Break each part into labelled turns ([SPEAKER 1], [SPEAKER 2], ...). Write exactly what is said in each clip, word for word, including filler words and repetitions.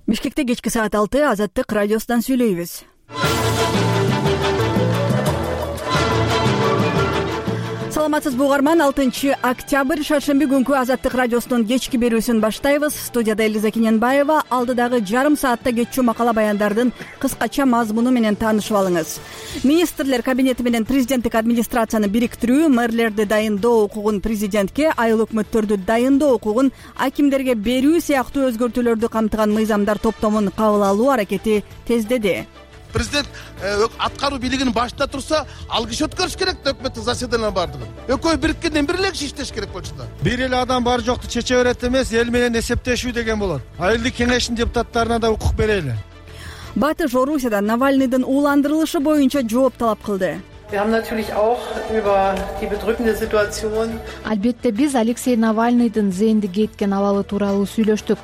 [SPEAKER 1] Бишкекте кечки саат алты Азаттык радиосунан сүйлөйбүз. Саламатсызбы угарман, алтынчы октябрь шаршемби күнкү Азаттык радиосунун кечки берүүсүн баштайбыз. Студияда Элиза Кененбаева. Алдыдагы жарым саатта кетчү макала баяндардын кыскача мазмуну менен таанышып алыңыз. Министрлер кабинети менен президенттик администрацияны бириктирүү, мэрлерди дайындоо укугун президентке, айыл өкмөттөрдү дайындоо укугун акимдерге берүү сыяктуу өзгөртүүлөрдү камтыган мыйзамдар топтомун кабыл алуу аракети тездеди.
[SPEAKER 2] Президент аткаруу бийлигин башында турса, ал киши өткөрүш керек да өкмөттүк заседаниялар бардыгын. Экөө бириткенден бир эле киши иштеш керек болчу да.
[SPEAKER 3] Бир эле адам бар жокту чече берет эмес, эл менен эсептешүү деген болот. Айылдык кеңештин депутаттарына да укук берели.
[SPEAKER 1] Батыш Орусияда Навальныйдын ууландырылышы боюнча жооп талап кылды.
[SPEAKER 4] Албетте биз Алексей Навальныйдын зээндик кеткен абалы тууралуу сүйлөштүк.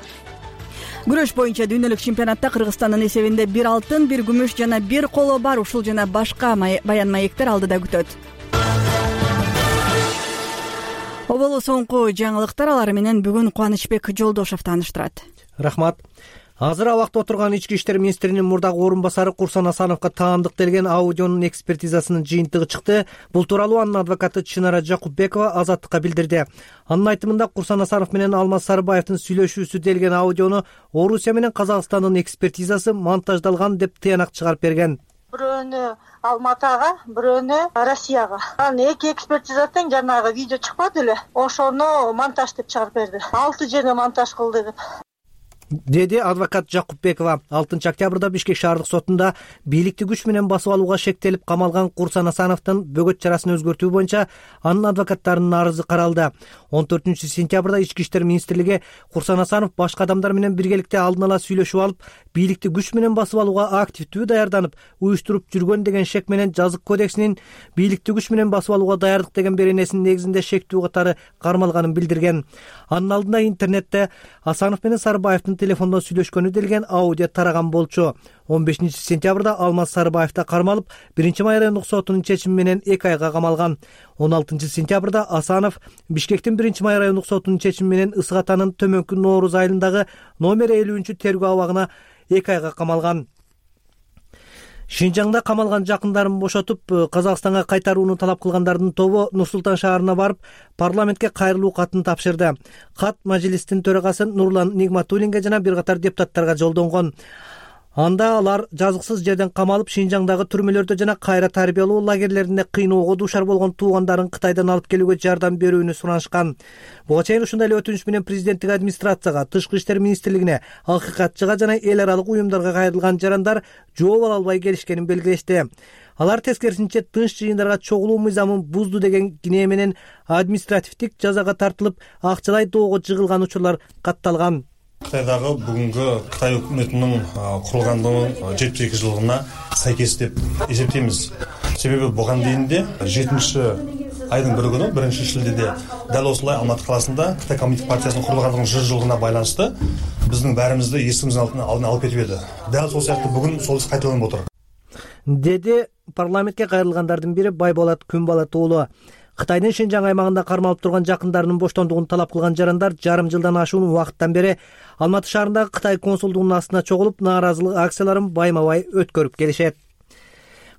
[SPEAKER 1] Күрөш боюнча дүйнөлүк чемпионатта Кыргызстандын эсебинде бир алтын, бир күмүш жана бир коло бар. Ушул жана башка баян маектер алдыда күтөт. Оболу соңку жаңылыктар, алар менен бүгүн Кубанычбек Жолдошов тааныштырат.
[SPEAKER 5] Рахмат. Азыр абакта отурган ички иштер министринин мурдагы орун басары Курсан Асановго таандык делген аудионун экспертизасынын жыйынтыгы чыкты. Бул тууралуу анын адвокаты Чынара Жакупбекова Азаттыкка билдирди. Анын айтымында Курсан Асанов менен Алмаз Сарыбаевдин сүйлөшүүсү делген аудиону Орусия менен Казакстандын экспертизасы монтаждалган деп тыянак чыгарып берген.
[SPEAKER 6] Бирөөнү Алматага, бирөөнү Россияга. Анын эки экспертиза тең жанагы видео чыкпады эле. Ошону монтаж деп чыгарып берди. алты жерге монтаж кылды деп.
[SPEAKER 5] Деди адвокат Жакупбекова. алтынчы октябрда Бишкек шаардык сотунда бийликти күч менен басып алууга шектелип камалган Курсан Асановдун бөгөт чарасын өзгөртүү боюнча анын адвокаттарынын арызы каралды. он төртүнчү сентябрда Ички иштер министрлиги Курсан Асанов башка адамдар менен биргеликте алдын ала сүйлөшүп алып, бийликти күч менен басып алууга активдүү даярданып, уюштуруп жүргөн деген шек менен Жазык кодексинин бийликти күч менен басып алууга даярдык деген беренесинин негизинде шектүү катары кармалганын билдирген. Анын алдында интернетте Асанов менен Сарыбаевдин телефондон сүйлөшкөнү делген аудио тараган болчу. он бешинчи сентябрда Алмаз Сарыбаев да кармалып, биринчи май райондук сотунун чечими менен эки айга камалган. он алтынчы сентябрда Асанов Бишкектин биринчи май райондук сотунун чечими менен Ысык Атанын Төмөнкү Нооруз айылындагы номер элүүнчү тергөө абагына эки айга камалган. Шинжаңда камалган жакындарын бошотуп, Казакстанга кайтарууну талап кылгандардын тобу Нур-Султан шаарына барып, парламентке кайрылуу катын тапшырды. Кат Мажилистин төрагасы Нурлан Нигматуллинге жана бир катар депутаттарга жолдонгон. Анда алар жазыксыз жерден камалып, Шинжаңдагы түрмөлөрдө жана кайра тарбиялоо лагерлеринде кыйноого дуушар болгон туугандарын Кытайдан алып келүүгө жардам берүүнү суранышкан. Буга чейин ушундай эле өтүнүч менен президенттик администрацияга, Тышкы иштер министрлигине, Акыйкатчыга жана эл аралык уюмдарга кайрылган жарандар жооп ала албай келишкенин белгилешти. Алар тескерисинче тынч жыйындарга чогулуу мыйзамын бузду деген кинээ менен административдик жазага тартылып, акчалай доого жыгылган учурлар катталган.
[SPEAKER 7] Кытайдагы бүгүнкү Кытай өкмөтүнүн курулгандыгынын жетимиш эки жылдыгына сайкес деп эсептейбиз. Себеби буга дейинде жетинчи айдын бир күнү биринчи шилдеде дал осулай Алматы каласында Кытай коммунистик партиясынын курулгандыгынын жүз жылдыгына байланыштуу биздин баарыбызды эсибиздин алдына алып кетип эди. Дал сол сыяктуу бүгүн сол иш кайталанып отур.
[SPEAKER 5] Деди парламентке кайрылгандардын бири Байболот Күнбалат уулу. Кытайдын Шинжаң аймагында кармалып турган жакындарынын боштондугун талап кылган жарандар жарым жылдан ашуун убакыттан бери Алматы шаарындагы Кытай консулдугунун астына чогулуп, нааразылык акцияларын байма-бай өткөрүп келишет.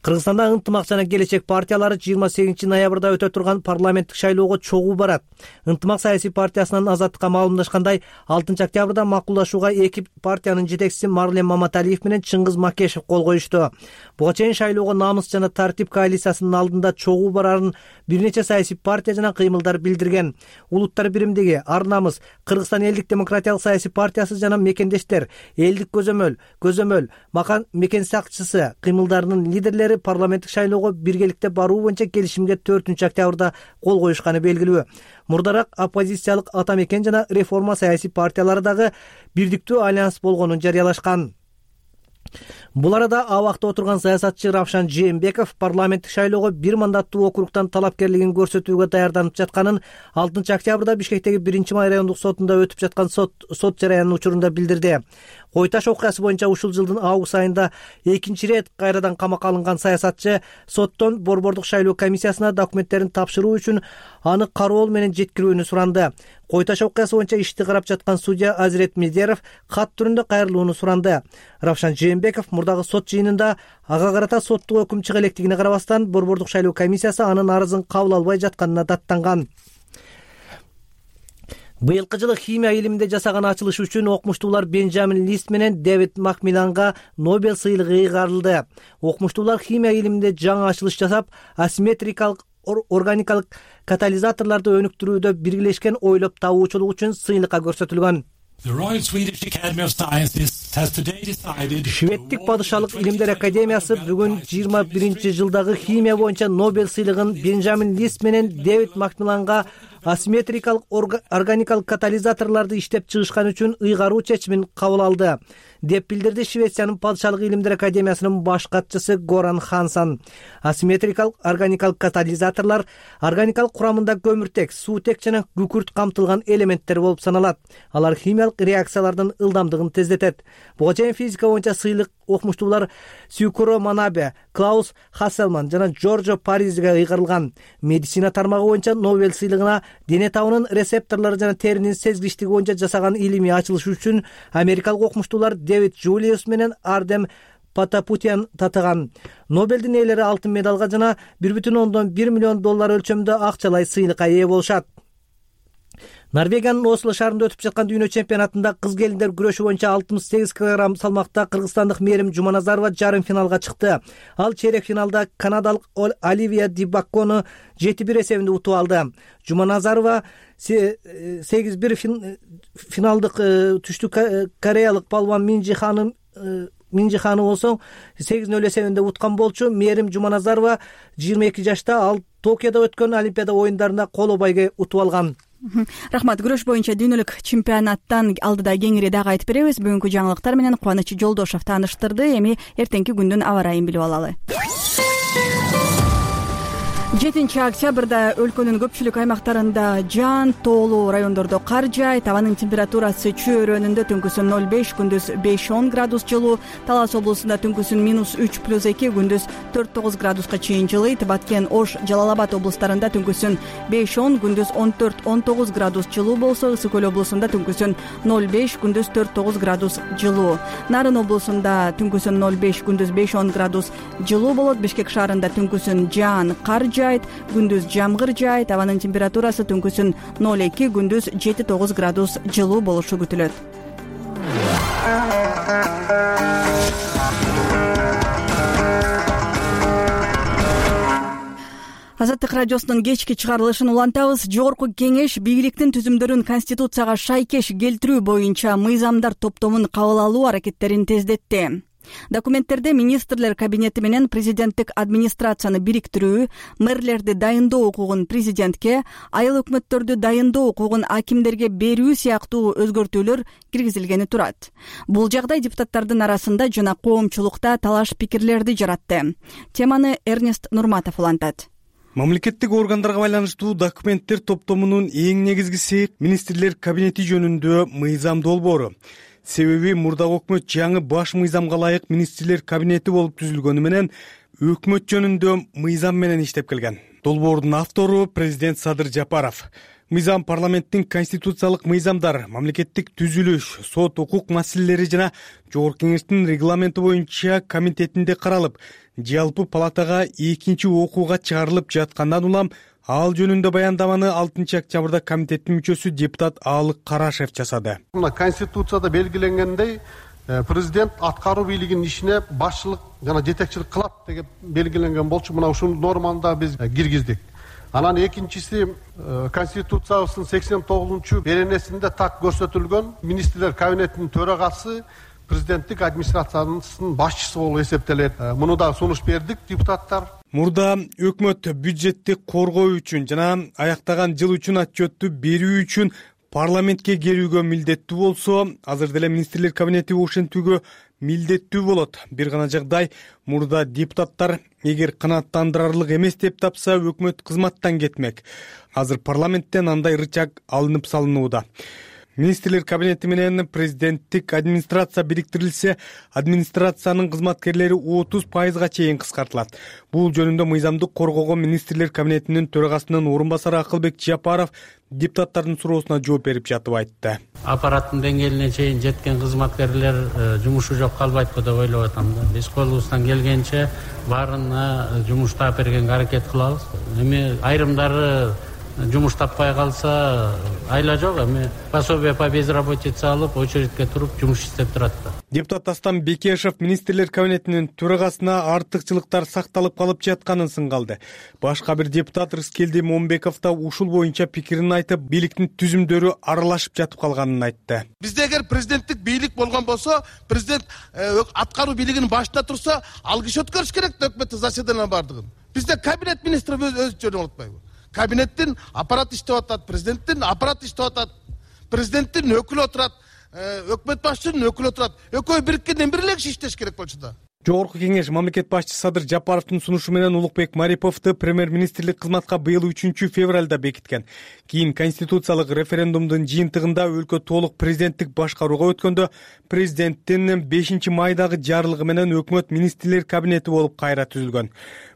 [SPEAKER 5] Кыргызстанда ынтымак жана келечек партиялары жыйырма сегизинчи ноябрда өтө турган парламенттик шайлоого чогуу барат. Ынтымак саясий партиясынан Азаттыкка маалымдашкандай, алтынчы октябрда макулдашууга эки партиянын жетекчиси Марлен Маматалиев менен Чыңгыз Макешев кол коюшту. Буга чейин шайлоого намыс жана тартип коалициясынын алдында чогуу барарын бир нече саясий партия жана кыймылдар билдирген. Улуттар биримдиги, Ар намыс, Кыргызстан элдик демократиялык саясий партиясы жана Мекендештер, Элдик көзөмөл, Көзөмөл, Макан Мекен сакчысы кыймылдарынын лидерлери парламенттик шайлоого биргеликте баруу боюнча келишимге төртүнчү октябрда кол коюшканы белгилүү. Мурдараак оппозициялык Ата Мекен жана Реформа саясий партиялары дагы бирдиктүү альянс болгонун жарыялашкан. Бул арада абакта отурган саясатчы Равшан Жээнбеков парламенттик шайлоого бир мандаттуу округтан талапкерлигин көрсөтүүгө даярданып жатканын алтынчы октябрда Бишкектеги биринчи май райондук сотунда өтүп жаткан сот сот жараянынын учурунда билдирди. Кой Таш окуясы боюнча ушул жылдын август айында экинчи ирет кайрадан камакка алынган саясатчы соттон борбордук шайлоо комиссиясына документтерин тапшыруу үчүн аны кароол менен жеткирүүнү суранды. Кой Таш окуясы боюнча ишти карап жаткан судья Азирет Медеров кат түрүндө кайрылууну суранды. Равшан Жээнбеков мурдагы сот жыйынында ага карата соттук өкүм чыга электигине карабастан борбордук шайлоо комиссиясы анын арызын кабыл албай жатканына даттанган. Быйылкы жылы химия илиминде жасаган ачылыш үчүн окумуштуулар Бенджамин Лист менен Дэвид Макмилланга Нобель сыйлыгы ыйгарылды. Окумуштуулар химия илиминде жаңы ачылыш жасап, асимметрикалык органикалык катализаторлорду өнүктүрүүдө биргелешкен ойлоп табуучулук үчүн сыйлыкка көрсөтүлгөн. Шведтик падышалык илимдер академиясы бүгүн жыйырма биринчи жылдагы химия боюнча Нобель сыйлыгын Бенджамин Лист менен Дэвид Макмилланга асимметрикалык органикалык катализаторлорду иштеп чыгышкан үчүн ыйгаруу чечимин кабыл алды, деп билдирди Швециянын падышалык илимдер академиясынын баш катчысы Горан Хансан. Асимметрикалык органикалык катализаторлор органикалык курамында көмүртек, суутек жана күкүрт камтылган элементтер болуп саналат. Алар химиялык реакциялардын ылдамдыгын тездетет. Буга чейин физика боюнча сыйлык окумуштуулар Сюкуро Манабе, Клаус Хасселман жана Джорджо Паризиге ыйгарылган. Медицина тармагы боюнча Нобель сыйлыгына дене табынын рецепторлору жана теринин сезгичтиги боюнча жасаган илимий ачылыш үчүн америкалык окумуштуулар Дэвид Джулиус менен Ардем Патапутян татыган. Нобелдин ээлери алтын медалга жана бир бүтүн ондон бир миллион доллар өлчөмүндө акчалай сыйлыкка ээ болушат. Норвегиянын Осло шаарында өтүп жаткан дүйнө чемпионатында кыз келиндер күрөшү боюнча алтымыш сегиз килограмм салмакта кыргызстандык Мээрим Жуманазарова жарым финалга чыкты. Ал чейрек финалда канадалык Оливия Дибаккону жети бир эсебинде утуп алды. Жуманазарова сегиз бир финалдык түштүк кореялык палван Минжи ханым Минжи ханы болсо сегиз нөл эсебинде уткан болчу. Мээрим Жуманазарова жыйырма эки жашта, ал Токиодо өткөн Олимпиада оюндарында коло байге утуп алган. Рахмат. Күрөш боюнча дүйнөлүк чемпионаттан алдыда кеңири дагы айтып беребиз. Бүгүнкү жаңылыктар менен Кубаныч Жолдошов тааныштырды. Эми эртеңки күндүн аба ырайын билип алалы. жетинчи октябрда өлкөнүн көпчүлүк аймактарында жаан, тоолуу райондордо кар жаайт. Абанын температурасы чөйрөнүндө түнкүсүн ноль беш, күндүз беш он градус жылуу. Талас облусунда түнкүсүн минус үч плюс эки, күндүз төрт тогуз градуска чейин жылыйт. Баткен, Ош, Жалал Абад облустарында түнкүсүн беш он, күндүз он төрт он тогуз градус жылуу болсо, Ысык Көл облусунда түнкүсүн ноль беш, күндүз төрт тогуз градус жылуу. Нарын облусунда түнкүсүн ноль беш, күндүз беш он градус жылуу болот. Бишкек шаарында түнкүсүн жаан, кар жаайт, күндүз жамгыр жаайт. Абанын температурасы түнкүсүн ноль эки, күндүз жети тогуз градус жылуу болушу күтүлөт. Азаттык радиосунун кечки чыгарылышын улантабыз. Жогорку кеңеш бийликтин түзүмдөрүн Конституцияга шайкеш келтирүү боюнча мыйзамдар топтомун кабыл алуу аракеттерин тездетти. Документтерде министрлер кабинети менен президенттик администрацияны бириктирүү, мэрлерди дайындоо укугун президентке, айыл өкмөттөрдү дайындоо укугун акимдерге берүү сыяктуу өзгөртүүлөр киргизилгени турат. Бул жагдай депутаттардын арасында жана коомчулукта талаш пикирлерди жаратты. Теманы Эрнест Нурматов улантат.
[SPEAKER 8] Мамлекеттик органдарга байланыштуу документтер топтомунун эң негизгиси министрлер кабинети жөнүндө мыйзам долбоору. Себеби мурдагы өкмөт жаңы баш мыйзамга ылайык министрлер кабинети болуп түзүлгөнү менен өкмөт жөнүндө мыйзам менен иштеп келген. Долбоордун автору президент Садыр Жапаров. Мыйзам парламенттин конституциялык мыйзамдар, мамлекеттик түзүлүш, сот укук маселелери жана жогорку кеңештин регламенти боюнча комитетинде каралып, жалпы палатага экинчи окууга чыгарылып жаткандан улам ал жөнүндө баяндаманы алтынчы октябрда комитеттин мүчөсү депутат Аалык Карашев жасады.
[SPEAKER 9] Мына конституцияда белгиленгендей, президент аткаруу бийлигинин ишине башчылык жана жетекчилик кылат деп белгиленген болчу. Мына ушул норманы да биз киргиздик. Анан экинчиси, конституциябыздын сексен тогузунчу беренесинде так көрсөтүлгөн министрлер кабинетинин төрагасы президенттик администрациянын башчысы болуп эсептелет. Муну да сунуш бердик депутаттар.
[SPEAKER 8] Мурда өкмөт бюджетти коргоо үчүн жана аяктаган жыл үчүн отчетту берүү үчүн парламентке келүүгө милдеттүү болсо, азыр деле министрлер кабинети ошентүүгө милдеттүү болот. Бир гана жагдай, мурда депутаттар эгер канааттандырарлык эмес деп тапса, өкмөт кызматтан кетмек. Азыр парламенттен андай рычаг алынып салынууда. Министрлер кабинети менен президенттик администрация бириктирилсе, администрациянын кызматкерлери отуз пайызга чейин кыскартылат. Бул жөнүндө мыйзамдык коргоого министрлер кабинетинин төрагасынын орун басары Акылбек Жапаров депутаттардын суроосуна жооп берип жатып айтты.
[SPEAKER 10] Аппараттын деңгээлине чейин жеткен кызматкерлер жумушу жок калбайт деп ойлоп атам да. Биз колубуздан келгенче баарына жумуштап бергенге аракет кылабыз. Эми айрымдары жумуш таппай калса айла жок, эми пособие по безработице алып, очередке туруп жумуш иштеп турат да.
[SPEAKER 8] Депутат Астан Бекешев министрлер кабинетинин төрагасына артыкчылыктар сакталып калып жатканын сынгалды. Башка бир депутат Рыскелди Момбеков да ушул боюнча пикирин айтып, бийликтин түзүмдөрү аралашып жатып калганын айтты.
[SPEAKER 2] Бизде эгер президенттик бийлик болгон болсо, президент аткаруу бийлигинин башында турса, алгыш өткөрүш керек да өкмөттүк заседаниялардын бардыгын. Бизде кабинет министри өзү жөнүп атпайбы? Кабинеттин аппарат иштеп атат, президенттин аппарат иштеп атат, президенттин өкүлү отурат, өкмөт башчысынын өкүлү отурат. Экөө бириккенден бир эле киши иштеш керек болчу да.
[SPEAKER 8] Жогорку кеңеш мамлекет башчысы Садыр Жапаровдун сунушу менен Улукбек Мариповду премьер-министрлик кызматка быйыл үчүнчү февралда бекиткен. Кийин конституциялык референдумдун жыйынтыгында өлкө толук президенттик башкарууга өткөндө президенттин бешинчи майдагы жарлыгы менен өкмөт министрлер кабинети болуп кайра түзүлгөн.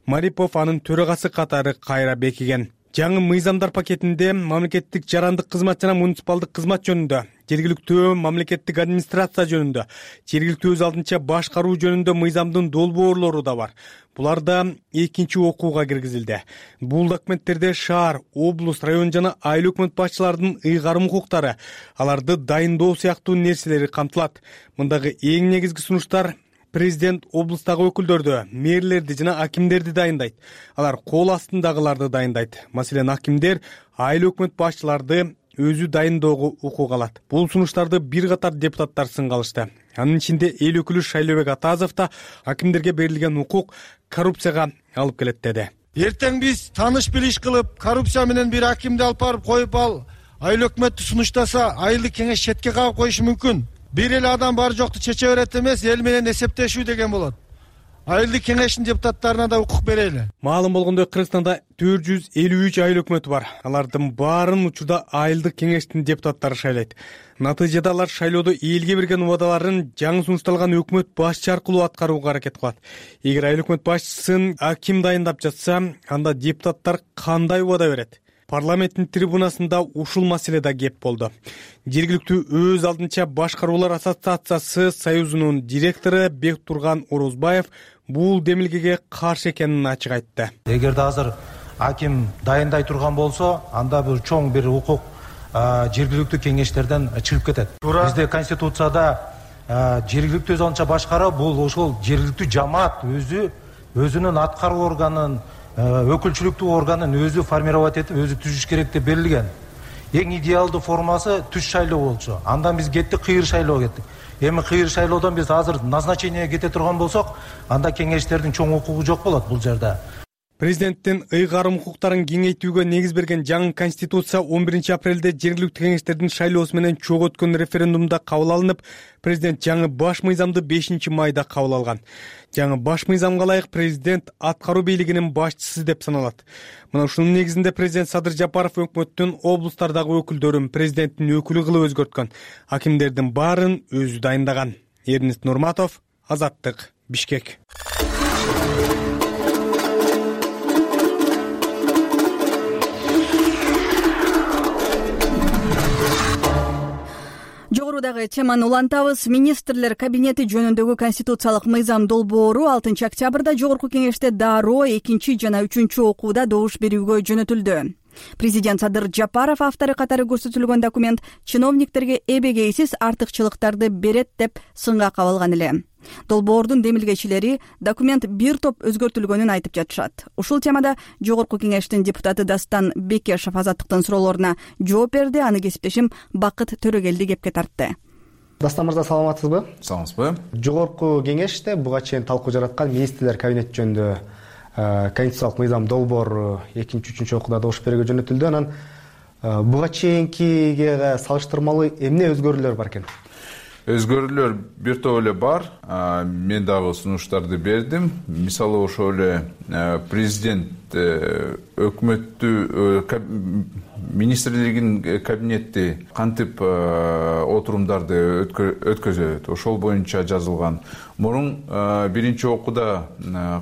[SPEAKER 8] Марипов анын төрагасы катары кайра бекиген. Жаңы мыйзамдар пакетинде мамлекеттик жарандык кызмат жана муниципалдык кызмат жөнүндө, жергиликтүү мамлекеттик администрация жөнүндө, жергиликтүү өз алдынча башкаруу жөнүндө мыйзамдын долбоорлору да бар. Булар да экинчи окууга киргизилди. Бул документтерде шаар, облус, район жана айыл өкмөт башчыларынын ыйгарым укуктары, аларды дайындоо сыяктуу нерселери камтылат. Мындагы эң негизги сунуштар: президент облустагы өкүлдөрдү, мэрлерди жана акимдерди дайындайт. Алар кол астындагыларды дайындайт. Маселен, акимдер айыл өкмөт башчыларды өзү дайындоого укук алат. Бул сунуштарды бир катар депутаттар сынгалышты. Анын ичинде эл өкүлү Шайлообек Атазов да акимдерге берилген укук коррупцияга алып келет деди.
[SPEAKER 3] Эртең биз тааныш билиш кылып, коррупция менен бир акимди алып барып коюп ал айыл өкмөттү сунуштаса, айылдык кеңеш четке кагып коюшу мүмкүн. Бир эле адам бар жокту чече берет эмес, эл менен эсептешүү деген болот. Айылдык кеңештин депутаттарына да укук берели.
[SPEAKER 8] Маалым болгондой, Кыргызстанда төрт жүз элүү үч айыл өкмөтү бар. Алардын баарын учурда айылдык кеңештин депутаттары шайлайт. Натыйжада алар шайлоодо элге берген убадаларын жаңы сунушталган өкмөт башчы аркылуу аткарууга аракет кылат. Эгер айыл өкмөт башчысын аким дайындап жатса, анда депутаттар кандай убада берет? Парламенттин трибунасында ушул маселеде кеп болду. Жергиликтүү өз алдынча башкаруулар ассоциациясы союзунун директору Бектурган Орозбаев бул демилгеге каршы экенин ачык айтты.
[SPEAKER 11] Эгерде азыр аким дайындай турган болсо, анда бир чоң бир укук жергиликтүү кеңештерден чыгып кетет. Бизде конституцияда жергиликтүү өз алдынча башкаруу бул ошол жергиликтүү жамаат өзү өзүнүн аткаруу органын, өкүлчүлүктүү органын өзү формировать этип, өзү түзүш керек деп берилген. Эң идеалдуу формасы түз шайлоо болчу. Андан биз кеттик, кыйыр шайлоого кеттик. Эми кыйыр шайлоодон биз азыр назначениеге кете турган болсок, анда кеңештердин чоң укугу жок болот бул жерде.
[SPEAKER 8] Президенттин ыйгарым укуктарын кеңейтүүгө негиз берген жаңы конституция он биринчи апрелде жергиликтүү кеңештердин шайлоосу менен чогуу өткөн референдумда кабыл алынып, президент жаңы баш мыйзамды бешинчи майда кабыл алган. Жаңы баш мыйзамга ылайык президент аткаруу бийлигинин башчысы деп саналат. Мына ушунун негизинде президент Садыр Жапаров өкмөттүн облустардагы өкүлдөрүн президенттин өкүлү кылып өзгөрткөн. Акимдердин баарын өзү дайындаган. Эрнест Нурматов, Азаттык, Бишкек.
[SPEAKER 1] Жогорудагы теманы улантабыз. Министрлер кабинети жөнүндөгү конституциялык мыйзам долбоору алтынчы октябрда жогорку кеңеште дароо экинчи жана үчүнчү окууда добуш берүүгө жөнөтүлдү. Президент Садыр Жапаров автору катары көрсөтүлгөн документ чиновниктерге эбегейсиз артыкчылыктарды берет деп сынга кабылган эле. Долбоордун демилгечилери документ бир топ өзгөртүлгөнүн айтып жатышат. Ушул темада жогорку кеңештин депутаты Дастан Бекешев Азаттыктын суроолоруна жооп берди. Аны кесиптешим Бакыт Төрөгелди кепке тартты.
[SPEAKER 12] Дастан мырза, саламатсызбы?
[SPEAKER 13] Саламатсызбы.
[SPEAKER 12] Жогорку кеңеште буга чейин талкуу жараткан министрлер кабинети жөнүндө конституциялык мыйзам долбоор экинчи үчүнчү окууда добуш берүүгө жөнөтүлдү. Анан буга чейинкиге салыштырмалуу эмне өзгөрүүлөр бар экен?
[SPEAKER 13] Өзгөрүүлөр бир топ эле бар. Мен дагы сунуштарды бердим. Мисалы ошол эле президент өкмөттү министрлигинин кабинети кантип отурумдарды өткөзөт, ошол боюнча жазылган. Мурун биринчи окууда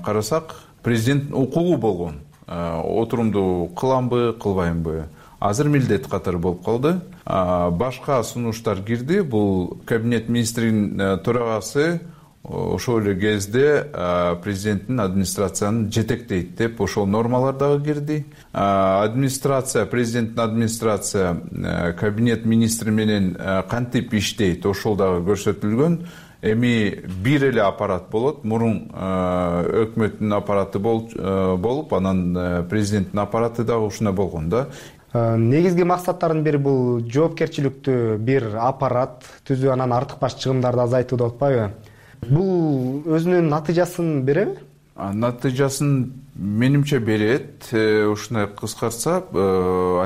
[SPEAKER 13] карасак, президенттин укугу болгон. Отурумду кыламбы, кылбаймбы? Азыр милдет катары болуп калды. Башка сунуштар кирди. Бул кабинет министринин төрагасы ошол эле кезде президенттин администрациянын жетектейт деп ошол нормалар дагы кирди. Администрация, президенттин администрация кабинет министри менен кантип иштейт, ошол дагы көрсөтүлгөн. Эми бир эле аппарат болот. Мурун өкмөттүн аппараты болуп, анан президенттин аппараты дагы ушундай болгон да.
[SPEAKER 12] Негизги максаттардын бири бул жоопкерчиликтүү бир аппарат түзүү, анан артыкбаш чыгымдарды азайтуу деп атпайбы? Бул өзүнүн натыйжасын береби?
[SPEAKER 13] Натыйжасын менимче берет. Ушундай кыскартса,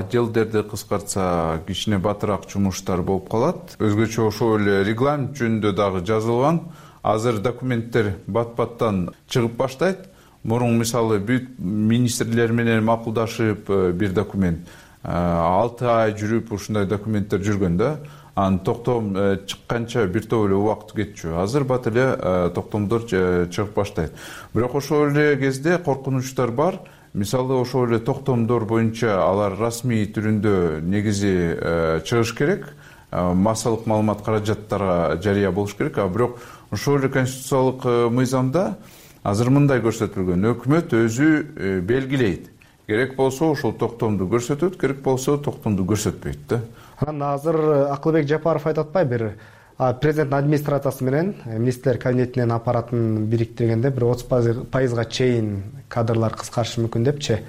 [SPEAKER 13] отделдерди кыскартса, кичине батыраак жумуштар болуп калат. Өзгөчө ошол эле регламент жөнүндө дагы жазылган. Азыр документтер бат-баттан чыгып баштайт. Мурун мисалы бүт министрлер менен макулдашып бир документ алты ай жүрүп ушундай документтер жүргөн да. Анын токтом чыкканча бир топ эле убакыт кетчү. Азыр бат эле токтомдор чыгып баштайт. Бирок ошол эле кезде коркунучтар бар. Мисалы ошол эле токтомдор боюнча алар расмий түрүндө негизи чыгыш керек. Массалык маалымат каражаттарга жарыя болуш керек. А бирок ошол эле конституциялык мыйзамда азыр мындай көрсөтүлгөн: өкмөт өзү белгилейт. Керек болсо ошол токтомду көрсөтөт, керек болсо токтомду көрсөтпөйт да.
[SPEAKER 12] Анан азыр Акылбек Жапаров айтып атпайбы, бир президенттин администрациясы менен министрлер кабинетинин аппаратын бириктиргенде бир отуз пайызга чейин кадрлар кыскарышы мүмкүн депчи.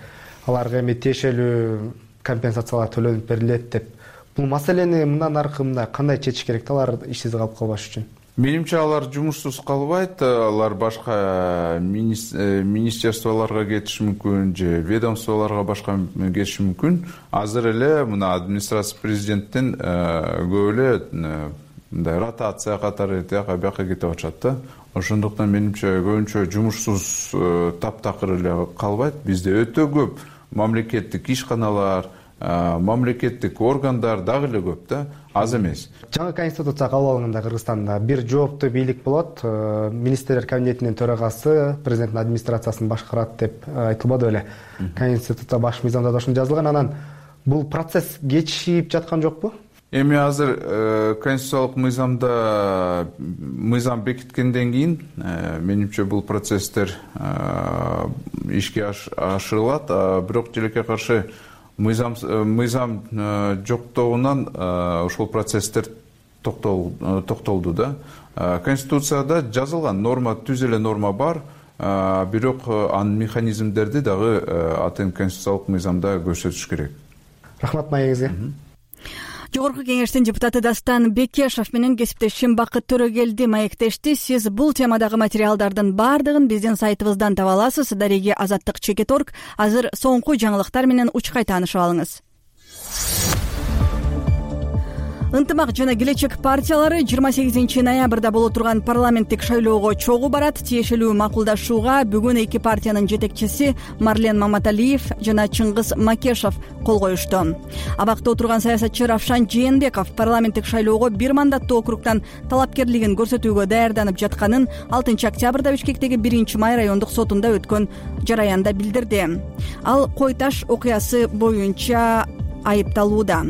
[SPEAKER 12] Аларга эми тиешелүү компенсациялар төлөнүп берилет деп. Бул маселени мындан аркы мындай кандай чечиш керек, алар ишсиз калып калбаш үчүн?
[SPEAKER 13] Менимче алар жумушсуз калбайт. Алар башка министерстволорго кетиши мүмкүн, же ведомстволорго башка кетиши мүмкүн. Азыр эле мына администрация президенттин көп эле мындай ротация катары тияка бияка кетип атышат да. Ошондуктан менимче көбүнчө жумушсуз таптакыр эле калбайт. Бизде өтө көп мамлекеттик ишканалар, мамлекеттик органдар дагы эле көп да, аз эмес.
[SPEAKER 12] Жаңы конституция кабыл алынганда Кыргызстанда бир жооптуу бийлик болот, министрлер кабинетинин төрагасы президенттин администрациясын башкарат деп айтылбады беле? Конституция баш мыйзамда да ошондой жазылган. Анан бул процесс кечигип жаткан жокпу?
[SPEAKER 13] Эми азыр конституциялык мыйзамда мыйзам бекиткенден кийин менимче бул процесстер ишке ашырылат, бирок тилекке каршы мыйзам мыйзам жоктогунан ошол процесстер токтолду да. Конституцияда жазылган норма, түз эле норма бар, бирок анын механизмдерди дагы атын конституциялык мыйзамда көрсөтүш керек.
[SPEAKER 12] Рахмат маегизге.
[SPEAKER 1] Жогорку кеңештин депутаты Дастан Бекешов менен кесиптешим Бакыт Төрөгелди маектешти. Сиз бул темадагы материалдардын баардыгын биздин сайтыбыздан таба аласыз. Дареги Азаттык чекит точка орг. Азыр соңку жаңылыктар менен учкай таанышып алыңыз. Ынтымак жана Келечек партиялары жыйырма сегизинчи ноябрда боло турган парламенттик шайлоого чогуу барат. Тиешелүү макулдашууга бүгүн эки партиянын жетекчиси Марлен Маматалиев жана Чыңгыз Макешов кол коюшту. Абакта отурган саясатчы Равшан Жээнбеков парламенттик шайлоого бир мандаттуу округтан талапкерлигин көрсөтүүгө даярданып жатканын алтынчы октябрда Бишкектеги биринчи май райондук сотунда өткөн жараянда билдирди. Ал Кой Таш окуясы боюнча айыпталууда.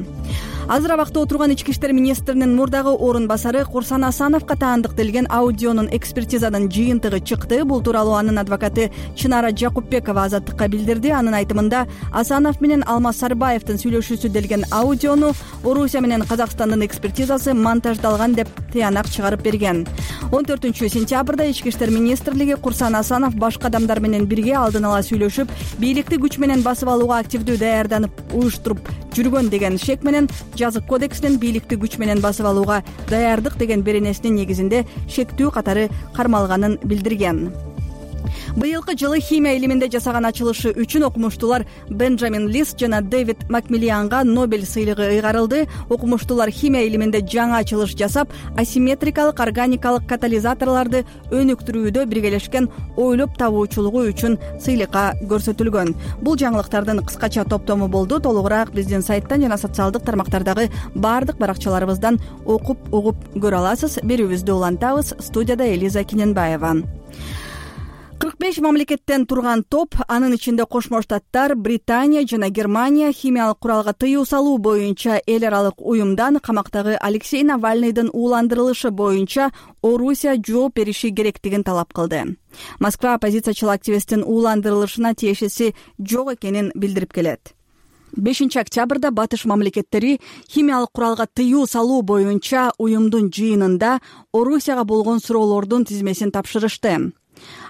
[SPEAKER 1] Азыр абакта отурган ички иштер министринин мурдагы орун басары Курсан Асановго таандык делген аудионун экспертизанын жыйынтыгы чыкты. Бул тууралуу анын адвокаты Чынара Жакупбекова Азаттыкка билдирди. Анын айтымында Асанов менен Алмаз Сарбаевдин сүйлөшүүсү делген аудиону Орусия менен Казакстандын экспертизасы монтаждалган деп тыянак чыгарып берген. он төртүнчү сентябрда ички иштер министрлиги Курсан Асанов башка адамдар менен бирге алдын ала сүйлөшүп, бийликти күч менен басып алууга активдүү даярданып уюштуруп жүргөн деген шек менен жазык кодекстин бийликти күч менен басып алууга даярдык деген беренесинин негизинде шектүү катары кармалганын билдирген. Быйылкы жылы химия илиминде жасаган ачылышы үчүн окумуштуулар Бенджамин Лист жана Дэвид Макмиллианга Нобель сыйлыгы ыйгарылды. Окумуштуулар химия илиминде жаңы ачылыш жасап, асимметрикалык органикалык катализаторлорду өнүктүрүүдө биргелешкен ойлоп табуучулугу үчүн сыйлыкка көрсөтүлгөн. Бул жаңылыктардын кыскача топтому болду. Толугураак биздин сайттан жана социалдык тармактардагы баардык баракчаларыбыздан окуп угуп көрө аласыз. Берүүбүздү улантабыз. Студияда Элиза Киненбаева. кырк беш мамлекеттен турган топ, анын ичинде Кошмо Штаттар, Британия жана Германия химиялык куралга тыюу салуу боюнча эл аралык уюмдан камактагы Алексей Навальныйдын ууландырылышы боюнча Орусия жооп бериши керектигин талап кылды. Москва оппозициячыл активисттин ууландырылышына тиешеси жок экенин билдирип келет. бешинчи октябрда батыш мамлекеттери химиялык куралга тыюу салуу боюнча уюмдун жыйынында Орусияга болгон суроолордун тизмесин тапшырышты.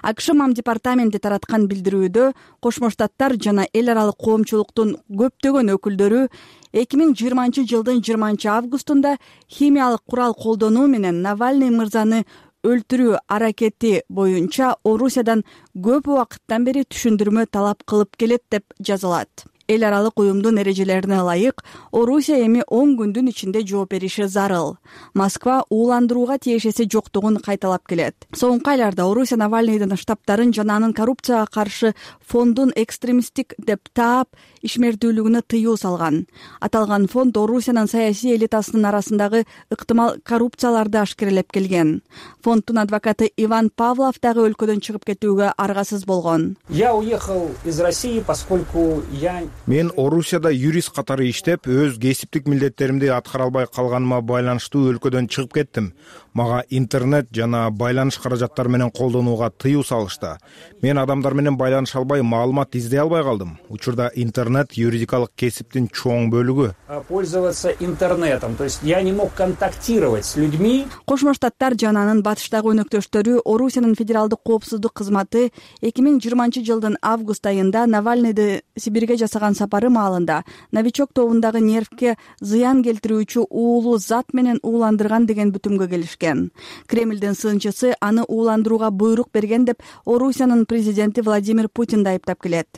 [SPEAKER 1] АКШ мам департаменти тараткан билдирүүдө Кошмо Штаттар жана эл аралык коомчулуктун көптөгөн өкүлдөрү эки миң жыйырманчы жылдын жыйырманчы августунда химиялык курал колдонуу менен Навальный мырзаны өлтүрүү аракети боюнча Орусиядан көп убакыттан бери түшүндүрмө талап кылып келет деп жазылат. Эл аралык уюмдун эрежелерине ылайык Орусия эми он күндүн ичинде жооп бериши зарыл. Москва ууландырууга тиешеси жоктугун кайталап келет. Соңку айларда Орусия Навальныйдын штабтарын жана анын коррупцияга каршы фондун экстремисттик деп таап ишмердүүлүгүнө тыюу салган. Аталган фонд Орусиянын саясий элитасынын арасындагы ыктымал коррупцияларды ашкерелеп келген. Фонддун адвокаты Иван Павлов дагы өлкөдөн чыгып кетүүгө аргасыз болгон.
[SPEAKER 14] Я уехал из России, поскольку я
[SPEAKER 15] Мен Орусияда юрист катары иштеп, өз кесиптик милдеттеримди аткара албай калганыма байланыштуу өлкөдөн чыгып кеттим. Мага интернет жана байланыш каражаттары менен колдонууга тыюу салышты. Мен адамдар менен байланыша албай, маалымат издей албай калдым. Учурда интернет юридикалык кесиптин чоң бөлүгү.
[SPEAKER 14] Пользоваться интернетом, то есть я не мог контактировать с людьми.
[SPEAKER 1] Кошмо Штаттар жана анын батыштагы өнөктөштөрү Орусиянын федералдык коопсуздук кызматы эки миң жыйырманчы жылдын август айында Навальныйды Сибирге жасаган сапары маалында новичок тобундагы нервке зыян келтирүүчү уулуу зат менен ууландырган деген бүтүмгө келишкен. Кремлдин сынчысы аны ууландырууга буйрук берген деп Орусиянын президенти Владимир Путин да айыптап келет.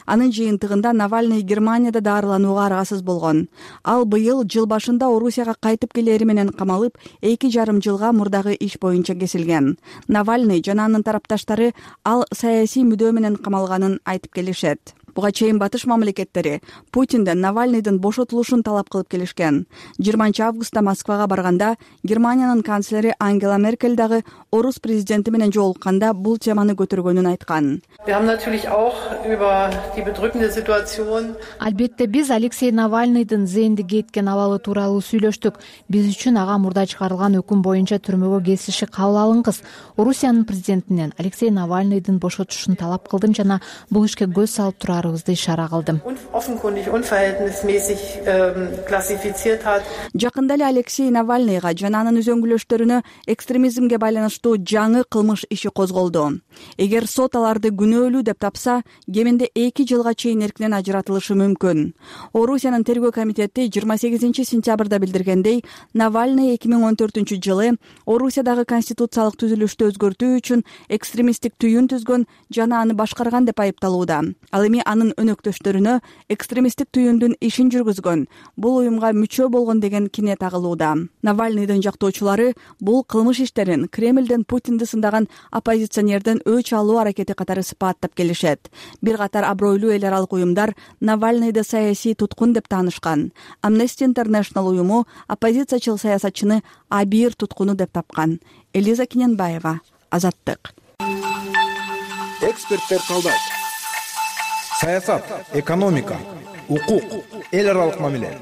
[SPEAKER 1] Анын жыйынтыгында Навальный Германияда дарыланууга аргасыз болгон. Ал быйыл жыл башында Орусияга кайтып келери менен камалып, эки жарым жылга мурдагы иш боюнча кесилген. Навальный жана анын тарапташтары ал саясий мүдөө менен камалганын айтып келишет. Буга чейин батыш мамлекеттери Путинден Навальныйдын бошотулушун талап кылып келишкен. жыйырманчы августта Москвага барганда Германиянын канцлери Ангела Меркель дагы орус президенти менен жолукканда бул теманы көтөргөнүн айткан.
[SPEAKER 4] Албетте биз Алексей Навальныйдын зээнди кеткен абалы тууралуу сүйлөштүк. Биз үчүн ага мурда чыгарылган өкүм боюнча түрмөгө кесиши кабыл алынгыс. Орусиянын президентинен Алексей Навальныйдын бошотушун талап кылдым жана бул ишке көз салып турар ишара кылдым.
[SPEAKER 1] Жакында эле Алексей Навальныйга жана анын үзөңгүлөштөрүнө экстремизмге байланыштуу жаңы кылмыш иши козголду. Эгер сот аларды күнөөлүү деп тапса, кеминде эки жылга чейин эркинен ажыратылышы мүмкүн. Орусиянын тергөө комитети жыйырма сегизинчи сентябрда билдиргендей, Навальный эки миң он төртүнчү жылы Орусиядагы конституциялык түзүлүштү өзгөртүү үчүн экстремисттик түйүн түзгөн жана аны башкарган деп айыпталууда. Ал эми анын өнөктөштөрүнө экстремисттик түйүндүн ишин жүргүзгөн, бул уюмга мүчө болгон деген кине тагылууда. Навальныйдын жактоочулары бул кылмыш иштерин Кремлден Путинди сындаган оппозиционерден өч алуу аракети катары сыпаттап келишет. Бир катар абройлуу эл аралык уюмдар Навальныйды саясий туткун деп таанышкан. Amnesty International уюму оппозициячыл саясатчыны абийир туткуну деп тапкан. Элиза Киненбаева, Азаттык.
[SPEAKER 15] Эксперттер калдайт. Саясат, экономика, укук, эл аралык мамиле,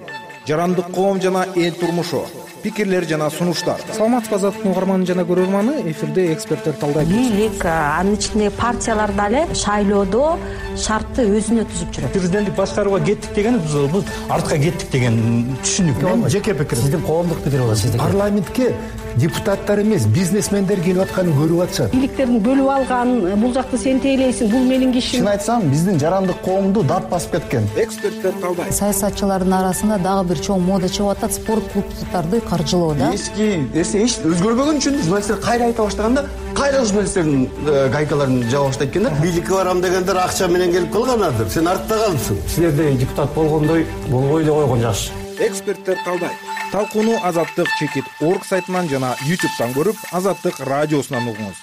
[SPEAKER 15] жарандык коом жана эл турмушу, пикирлер жана сунуштар.
[SPEAKER 16] Саламатсызбы Азаттык угарманы жана көрөрманы, эфирде эксперттер талдайт.
[SPEAKER 17] Бийлик, анын ичинде партиялар дагы шайлоодо шартты өзүнө түзүп жүрөт.
[SPEAKER 16] Президенттик башкарууга кеттик деген биз артка кеттик деген түшүнүк.
[SPEAKER 18] Мен жеке пикирим. Сиздин коомдук пикир болот. Сиздин парламентке депутаттар эмес, бизнесмендер келип атканын көрүп атышат.
[SPEAKER 19] Бийликтерин бөлүп алган, бул жакты сен тейлейсиң, бул менин кишим.
[SPEAKER 18] Чын айтсам, биздин жарандык коомду дарт басып кеткен.
[SPEAKER 20] Эксперттер талдайт. Саясатчылардын арасында дагы бир чоң мода чыгып атат, спорт клубдарды каржылоо да.
[SPEAKER 18] Эски нерсе эч өзгөрбөгөн үчүн журналисттер кайра айта баштаганда, кайра журналисттердин гайкаларын жаба баштайт экен да. Бийликке барам дегендер акча менен келип калганадыр. Сен артта калыпсың.
[SPEAKER 21] Силерде депутат болгондой болбой эле койгон жакшы.
[SPEAKER 15] Эксперттер талдайт. Талкууну Азаттык чекит орг сайтынан жана ютубтан көрүп, Азаттык радиосунан угуңуз.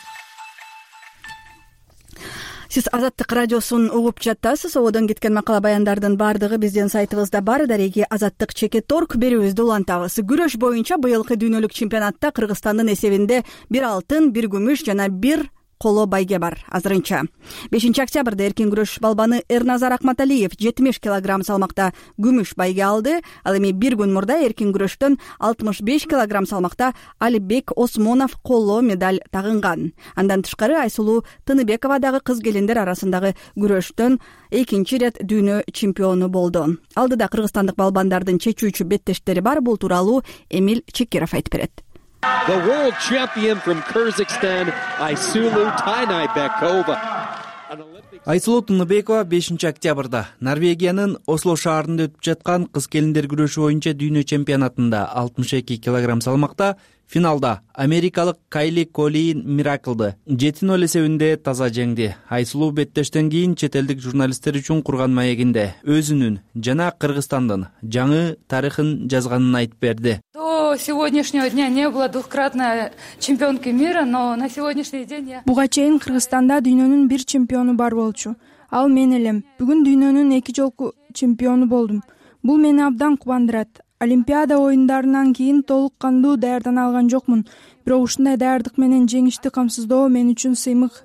[SPEAKER 1] Сиз Азаттык радиосун угуп жатасыз. Ободон кеткен макала баяндардын баардыгы биздин сайтыбызда бар. Дареги Азаттык чекит орг берүүбүздү улантабыз. Күрөш боюнча быйылкы дүйнөлүк чемпионатта Кыргызстандын эсебинде бир алтын, бир күмүш жана бир коло байге бар азырынча. бешинчи октябрда эркин күрөш балбаны Эрназар Акматалиев жетимиш килограмм салмакта күмүш байге алды. Ал эми бир күн мурда эркин күрөштөн алтымыш беш килограмм салмакта Алибек Осмонов коло медаль тагынган. Андан тышкары Айсулуу Тыныбекова дагы кыз келиндер арасындагы күрөштөн экинчи ирет дүйнө чемпиону болду. Алдыда кыргызстандык балбандардын чечүүчү беттештери бар. Бул тууралуу Эмил Чекиров айтып берет.
[SPEAKER 22] The world champion from Kyrgyzstan, Aysulu Taynaybekova.
[SPEAKER 23] Айсулуу Тыныбекова бешинчи октябрда Норвегиянын Осло шаарында өтүп жаткан кыз келиндер күрөшү боюнча дүйнө чемпионатында алтымыш эки килограмм салмакта финалда америкалык Кайли Колин Мираклды жети ноль эсебинде таза жеңди. Айсулуу беттештен кийин чет элдик журналисттер үчүн курган маегинде өзүнүн жана Кыргызстандын жаңы тарыхын жазганын айтып берди.
[SPEAKER 24] До сегодняшнего дня не было двухкратной чемпионки мира, но на сегодняшний день я...
[SPEAKER 25] Буга чейин Кыргызстанда дүйнөнүн бир чемпиону бар болчу. Ал мен элем. Бүгүн дүйнөнүн эки жолку чемпиону болдум. Бул мени абдан кубандырат. Олимпиада оюндарынан кийин толук кандуу даярдана алган жокмун. Бирок ушундай даярдык менен жеңишти камсыздоо мен үчүн сыймык.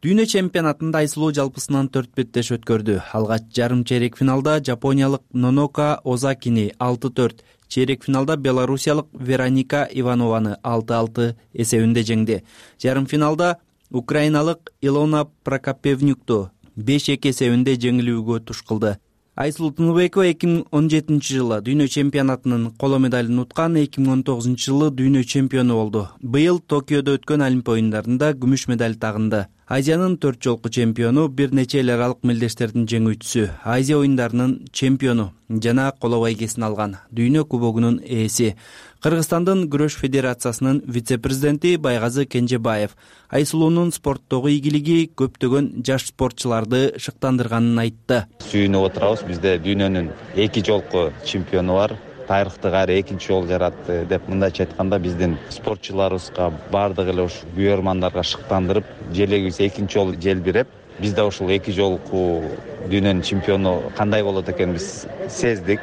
[SPEAKER 23] Дүйнө чемпионатында Айсулуу жалпысынан төрт беттеш өткөрдү. Алгач жарым чейрек финалда жапониялык Нонока Озакини алты төрт, чейрек финалда белорусиялык Вероника Иванованы алты алты эсебинде жеңди. Жарым финалда украиналык Илона Прокопевнюкту беш эки эсебинде жеңилүүгө туш кылды. Айсулуу Тыныбекова эки миң он жетинчи жылы дүйнө чемпионатынын коло медалын уткан, эки миң он тогузунчу жылы дүйнө чемпиону болду. Быйыл Токиодо өткөн Олимп оюндарында күмүш медаль тагынды. Азиянын төрт жолку чемпиону, бир нече эл аралык мелдештердин жеңүүчүсү, Азия оюндарынын чемпиону жана коло байгесин алган, дүйнө кубогунун ээси. Кыргызстандын күрөш федерациясынын вице-президенти Байгазы Кенжебаев Айсулуунун спорттогу ийгилиги көптөгөн жаш спортчуларды шыктандырганын айтты.
[SPEAKER 26] Сүйүнүп отурабыз, бизде дүйнөнүн эки жолку чемпиону бар. Тарыхты кайра экинчи жолу жаратты деп мындайча айтканда биздин спортчуларыбызга баардык эле ушу күйөрмандарга шыктандырып, желегибиз экинчи жолу желбиреп, биз да ушул эки жолку дүйнөнүн чемпиону кандай болот экенин биз сездик,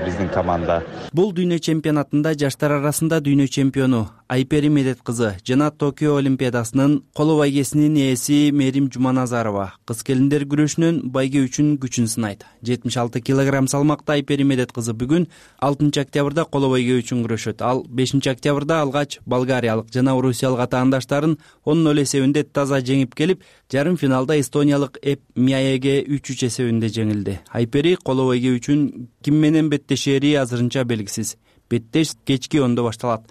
[SPEAKER 26] биздин команда.
[SPEAKER 23] Бул дүйнө чемпионатында жаштар арасында дүйнө чемпиону Айпери Медет кызы жана Токио олимпиадасынын коло байгесинин ээси Мерим Жуманазарова кыз келиндер күрөшүнөн байге үчүн күчүн сынайт. жетимиш алты килограмм салмакта Айпери Медет кызы бүгүн алтынчы октябрда коло байге үчүн күрөшөт. Ал бешинчи октябрда алгач болгариялык жана орусиялык атаандаштарын он ноль эсебинде таза жеңип келип, жарым финалда эстониялык Эп Мияеге үч үч эсебинде жеңилди. Айпери коло байге үчүн ким менен беттешери азырынча белгисиз. Беттеш кечки ондо башталат.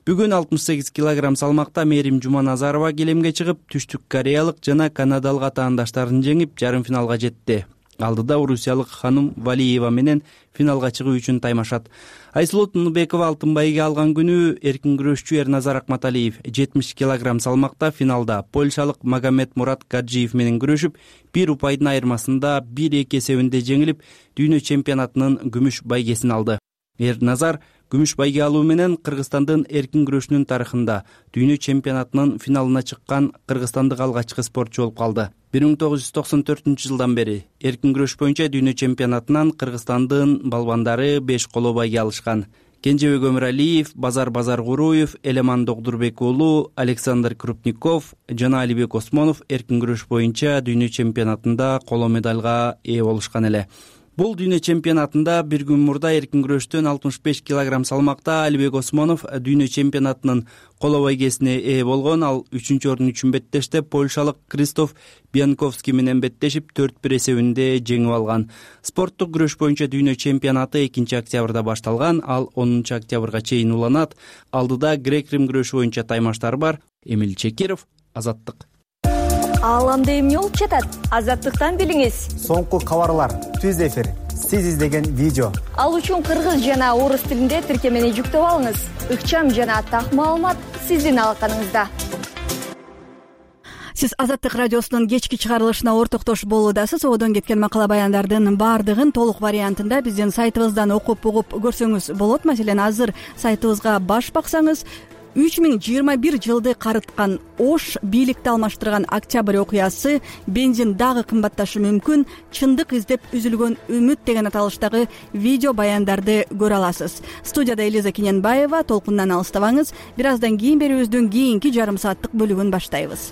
[SPEAKER 23] Бүгүн алтымыш сегиз килограмм салмакта Мерим Жуманазарова келемге чыгып, түштүк кореялык жана канадалык атаандаштарын жеңип, жарым финалга жетти. Алдыда орусиялык Ханым Валиева менен финалга чыгуу үчүн таймашат. Айсулуу Тыныбекова алтын байге алган күнү эркин күрөшчү Эрназар Акматалиев жетимиш килограмм салмакта финалда польшалык Магомед Мурат Гаджиев менен күрөшүп, бир упайдын айырмасында бир эки эсебинде жеңилип, дүйнө чемпионатынын күмүш байгесин алды. Эрназар күмүш байге алуу менен Кыргызстандын эркин күрөшүнүн тарыхында дүйнө чемпионатынын финалына чыккан кыргызстандык алгачкы спортчу болуп калды. бир миң тогуз жүз токсон төртүнчү жылдан бери эркин күрөш боюнча дүйнө чемпионатынан Кыргызстандын балбандары беш коло байге алышкан. Кенжебек Өмүралиев, Базар Базаркуруев, Элеман Догдурбек уулу, Александр Крупников жана Алибек Осмонов эркин күрөш боюнча дүйнө чемпионатында коло медалга ээ болушкан эле. бул дүйнө чемпионатында бир күн мурда эркин күрөштөн алтымыш беш килограмм салмакта Алибек Осмонов дүйнө чемпионатынын коло байгесине ээ болгон. Ал үчүнчү орун үчүн беттеште польшалык Кристоф Бьянковский менен беттешип төрт бир эсебинде жеңип алган. Спорттук күрөш боюнча дүйнө чемпионаты экинчи октябрда башталган. Ал онунчу октябрга чейин уланат. Алдыда грек-рим күрөшү боюнча таймаштар бар. Эмил Чекиров, Азаттык.
[SPEAKER 2] Ааламда эмне болуп жатат? Азаттыктан билиңиз.
[SPEAKER 5] Соңку кабарлар, түз эфир, сиз издеген видео.
[SPEAKER 2] Ал үчүн кыргыз жана орус тилинде тиркемени жүктөп алыңыз. Ыкчам жана так маалымат сиздин алаканыңызда.
[SPEAKER 1] Сиз Азаттык радиосунун кечки чыгарылышына ортоктош болуудасыз. Одон кеткен макала баяндардын баардыгын толук вариантында биздин сайтыбыздан окуп угуп көрсөңүз болот. Маселен, азыр сайтыбызга баш баксаңыз, үч миң жыйырма бир жылды карыткан Ош бийликти алмаштырган октябрь окуясы, бензин дагы кымбатташы мүмкүн, чындык издеп үзүлгөн үмүт деген аталыштагы видео баяндарды көрө аласыз. Студияда Элиза Кененбаева. Толкундан алыстабаңыз. Бир аздан кийин берүүбүздүн кийинки жарым сааттык бөлүгүн баштайбыз.